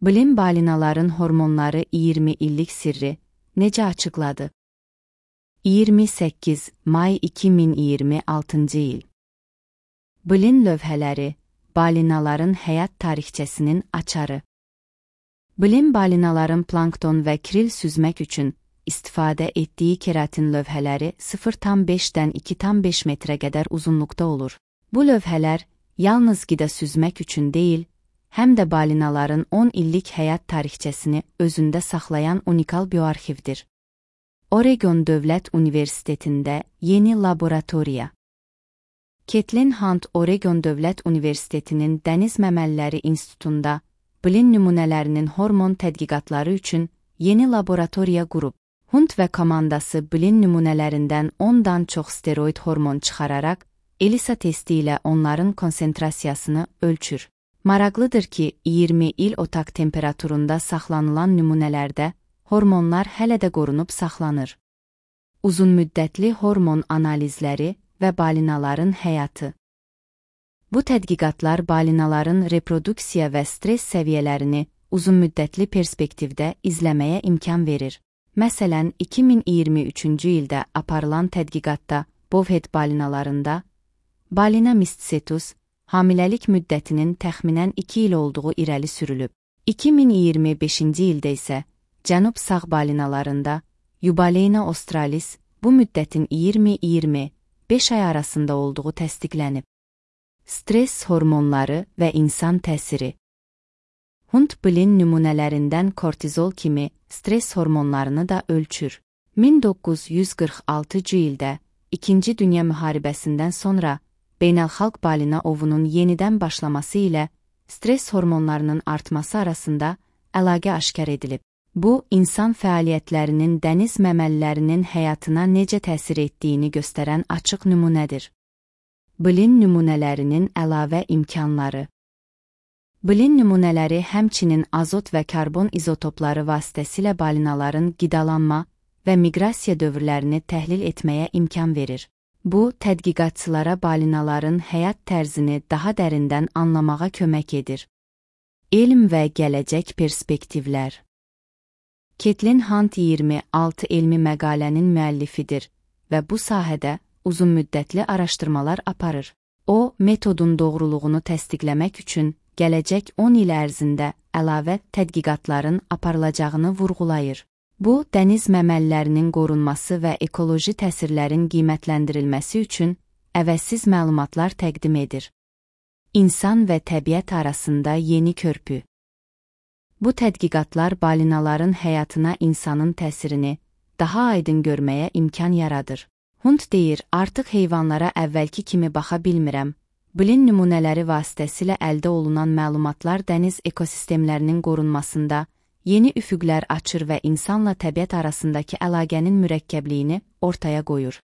Bilim balinaların hormonları 20 illik sirri necə açıqladı? 28 may 2026 il. Bilim lövhələri, balinaların həyat tarixçəsinin açarı. Bilim balinaların plankton və kril süzmək üçün istifadə etdiyi keratin lövhələri 0,5-dən 2,5 metrə qədər uzunluqda olur. Bu lövhələr yalnız qida süzmək üçün deyil, həm də balinaların 10 illik həyat tarixçəsini özündə saxlayan unikal bioarxivdir. Oregon Dövlət Universitetində yeni laboratoriya. Caitlin Hunt Oregon Dövlət Universitetinin Dəniz Məməliləri İnstitutunda bilim nümunələrinin hormon tədqiqatları üçün yeni laboratoriya qurub. Hunt və komandası bilim nümunələrindən 10-dan çox steroid hormon çıxararaq, ELISA testi ilə onların konsentrasiyasını ölçür. Maraqlıdır ki, 20 il otaq temperaturunda saxlanılan nümunələrdə hormonlar hələ də qorunub saxlanır. Uzunmüddətli hormon analizləri və balinaların həyatı. Bu tədqiqatlar balinaların reproduksiya və stress səviyyələrini uzunmüddətli perspektivdə izləməyə imkan verir. Məsələn, 2023-cü ildə aparılan tədqiqatda bovhead balinalarında Balina mysticetus hamiləlik müddətinin təxminən 2 il olduğu irəli sürülüb. 2025-ci ildə isə cənub sağ balinalarında Eubalena australis bu müddətin 20-25 ay arasında olduğu təsdiqlənib. Stress hormonları və insan təsiri. Hunt bilim nümunələrindən kortizol kimi stress hormonlarını da ölçür. 1946-cı ildə İkinci Dünya müharibəsindən sonra beynəlxalq balina ovunun yenidən başlaması ilə stress hormonlarının artması arasında əlaqə aşkar edilib. Bu, insan fəaliyyətlərinin dəniz məməlilərinin həyatına necə təsir etdiyini göstərən açıq nümunədir. Bilim nümunələrinin əlavə imkanları. Bilim nümunələri həmçinin azot və karbon izotopları vasitəsilə balinaların qidalanma və miqrasiya dövrlərini təhlil etməyə imkan verir. Bu, tədqiqatçılara balinaların həyat tərzini daha dərindən anlamağa kömək edir. Elm və gələcək perspektivlər. Caitlin Hunt 26 elmi məqalənin müəllifidir və bu sahədə uzunmüddətli araşdırmalar aparır. O, metodun doğruluğunu təsdiqləmək üçün gələcək 10 il ərzində əlavə tədqiqatların aparılacağını vurğulayır. Bu, dəniz məməlilərinin qorunması və ekoloji təsirlərin qiymətləndirilməsi üçün əvəzsiz məlumatlar təqdim edir. İnsan və təbiət arasında yeni körpü. Bu tədqiqatlar balinaların həyatına insanın təsirini daha aydın görməyə imkan yaradır. Hunt deyir, artıq heyvanlara əvvəlki kimi baxa bilmirəm. Bilim nümunələri vasitəsilə əldə olunan məlumatlar dəniz ekosistemlərinin qorunmasında yeni üfüqlər açır və insanla təbiət arasındakı əlaqənin mürəkkəbliyini ortaya qoyur.